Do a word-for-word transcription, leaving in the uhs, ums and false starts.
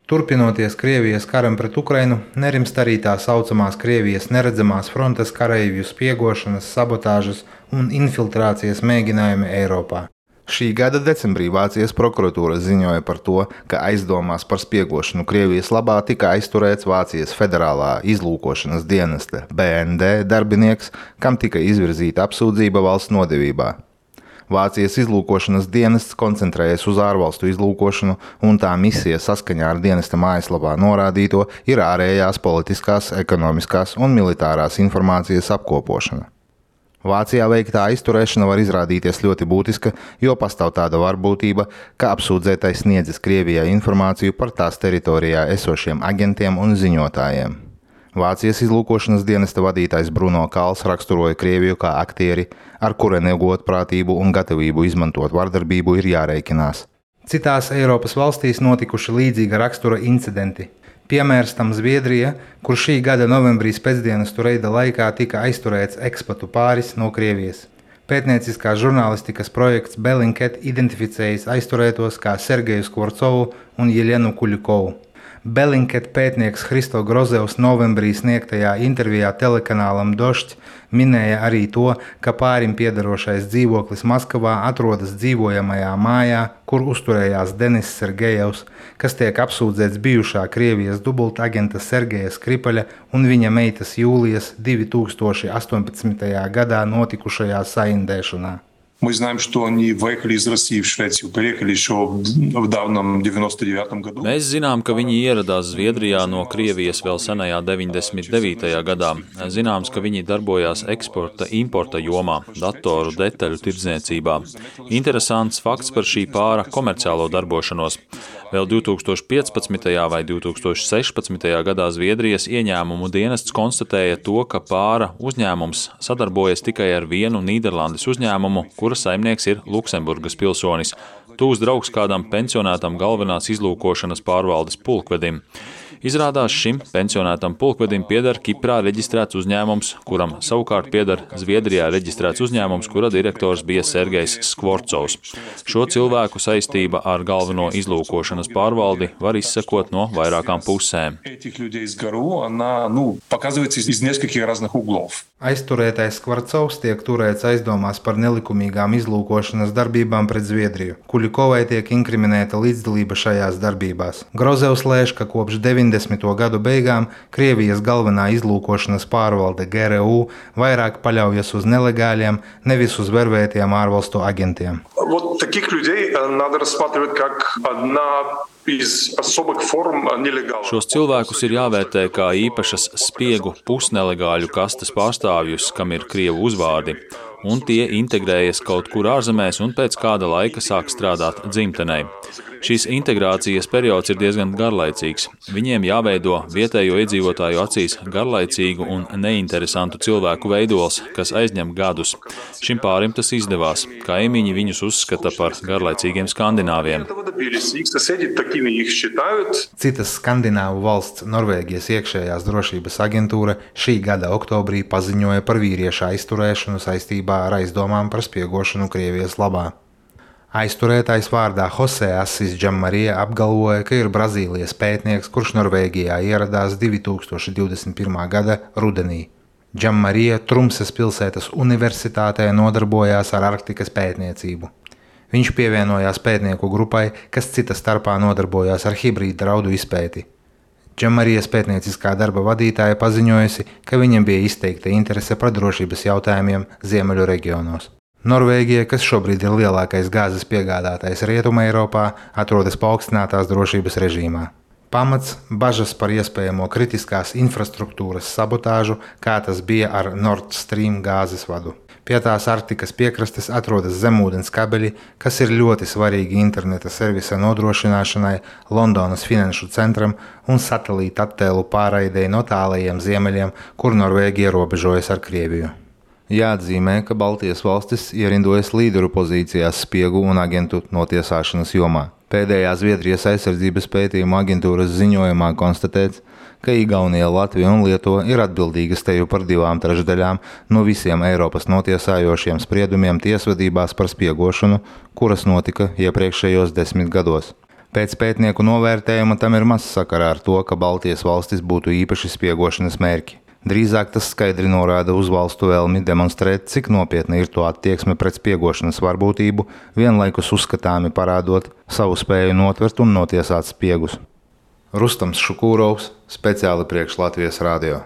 Turpinoties Krievijas karam pret Ukrainu, nerimst arī tā saucamās Krievijas neredzamās frontes kareivju spiegošanas, sabotāžas un infiltrācijas mēģinājumi Eiropā. Šī gada decembrī Vācijas prokuratūra ziņoja par to, ka aizdomās par spiegošanu Krievijas labā tika aizturēts Vācijas federālā izlūkošanas dienesta B N D darbinieks, kam tika izvirzīta apsūdzība valsts nodevībā. Vācijas izlūkošanas dienests koncentrējas uz ārvalstu izlūkošanu, un tā misija saskaņā ar dienesta mājaslapā norādīto ir ārējās politiskās, ekonomiskās un militārās informācijas apkopošana. Vācijā veiktā aizturēšana var izrādīties ļoti būtiska, jo pastāv tāda varbūtība, ka apsūdzētais sniedzis Krievijai informāciju par tās teritorijā esošiem agentiem un ziņotājiem. Vācijas izlūkošanas dienesta vadītājs Bruno Kals raksturoja Krieviju kā aktieri, ar kura negodprātību un gatavību izmantot vardarbību ir jārēķinās. Citās Eiropas valstīs notikuši līdzīga rakstura incidenti. Piemērs tam Zviedrija, kur šī gada novembrī pēcdienestu reida laikā tika aizturēts ekspatu pāris no Krievijas. Pētnieciskās žurnālistikas projekts Bellingcat identificējis aizturētos kā Sergeju Skvorcovu un Jelenu Kuļikovu. Bellingcat pētnieks Hristo Grozevs novembrī sniegtajā intervijā telekanālam Došķ minēja arī to, ka pārim piederošais dzīvoklis Maskavā atrodas dzīvojamajā mājā, kur uzturējās Denis Sergejevs, kas tiek apsūdzēts bijušā Krievijas dubultagenta Sergeja Skripaļa un viņa meitas Jūlijas divi tūkstoši astoņpadsmitajā gadā notikušajā saindēšanā. Мы знаем, что они выехали из России в Швецию, приехали еще в давном девяносто девятом году. Mēs zinām, ka viņi ieradās Zviedrijā no Krievijas vēl senajā deviņdesmit devītajā gadā. Zināms, ka viņi darbojās eksporta, importa jomā, datoru detaļu tirdzniecībā. Interesants fakts par šī pāra komerciālo darbošanos. Vēl divi tūkstoši piecpadsmitajā vai divi tūkstoši sešpadsmitajā gadā Zviedrijas ieņēmumu dienests konstatēja to, ka pāra uzņēmums sadarbojas tikai ar vienu Nīderlandes uzņēmumu, kura saimnieks ir Luksemburgas pilsonis, tūs draugs kādam pensionētam galvenās izlūkošanas pārvaldes pulkvedim. Izrādās šim pensionētam pulkvedim pieder Kiprā reģistrēts uzņēmums, kuram savukārt pieder Zviedrijā reģistrēts uzņēmums, kura direktors bija Sergejs Skvorcovs. Šo cilvēku saistība ar galveno izlūkošanas pārvaldi var izsekot no vairākām pusēm. Aizturētais Skvorcovs tiek turēts aizdomās par nelikumīgām izlūkošanas darbībām pret Zviedriju. Kuļikovai tiek inkriminēta līdzdalība šajās darbībās. Grozevs lēš, ka kopš deviņdesmito gadu beigām Krievijas galvenā izlūkošanas pārvalde G R U vairāk paļaujas uz nelegāliem, nevis uz vervētiem ārvalstu agentiem. Вот таких людей надо рассматривать как одна из особых форм нелегала. Šos cilvēkus ir jāvērtē kā īpašas spiegu pusnelegāļu kastes pārstāvjus, kam ir krievu uzvārdi, un tie integrējas kaut kur ārzemēs un pēc kāda laika sāk strādāt dzimtenei. Šīs integrācijas periods ir diezgan garlaicīgs. Viņiem jāveido vietējo iedzīvotāju acīs garlaicīgu un neinteresantu cilvēku veidols, kas aizņem gadus. Šim pārim tas izdevās. Kaimiņi viņus uzskata par garlaicīgiem skandināviem. Citas skandināvu valsts Norvēģijas iekšējās drošības aģentūra šī gada oktobrī paziņoja par vīrieša aizturēšanu saistībā ar aizdomām par spiegošanu Krievijas labā. Aizturētais vārdā Jose Assis Džammarija apgalvoja, ka ir Brazīlijas pētnieks, kurš Norvēģijā ieradās divi tūkstoši divdesmit pirmā gada rudenī. Džammarija Trumses pilsētas universitātē nodarbojās ar Arktikas pētniecību. Viņš pievienojās pētnieku grupai, kas cita starpā nodarbojās ar hibrīdu draudu izpēti. Džammarijas pētnieciskā darba vadītāja paziņojusi, ka viņam bija izteikta interese par drošības jautājumiem Ziemeļu reģionos. Norvēģija, kas šobrīd ir lielākais gāzes piegādātājs Rietuma Eiropā, atrodas paaugstinātās drošības režīmā. Pamats bažas par iespējamo kritiskās infrastruktūras sabotāžu, kā tas bija ar Nord Stream gāzes vadu. Pie tās Arktikas piekrastes atrodas zemūdens kabeļi, kas ir ļoti svarīgi interneta servisa nodrošināšanai, Londonas finanšu centram un satelīta attēlu pārraidei no tālajiem ziemeļiem, kur Norvēģija robežojas ar Krieviju. Jāatzīmē, ka Baltijas valstis ierindojas līderu pozīcijās spiegu un agentu notiesāšanas jomā. Pēdējā Zviedrijas aizsardzības pētījuma aģentūras ziņojumā konstatēts, ka Igaunija, Latvija un Lietuva ir atbildīgas teju par divām trešdaļām no visiem Eiropas notiesājošiem spriedumiem tiesvedībās par spiegošanu, kuras notika iepriekšējos desmit gados. Pēc pētnieku novērtējuma tam ir maz sakarā ar to, ka Baltijas valstis būtu īpaši spiegošanas mērķi. Drīzāk tas skaidri norāda uz valstu vēlmi demonstrēt, cik nopietna ir to attieksme pret spiegošanas varbūtību, vienlaikus uzskatāmi parādot savu spēju notvert un notiesāt spiegus. Rustams Šukūrovs, speciāli priekš Latvijas radio.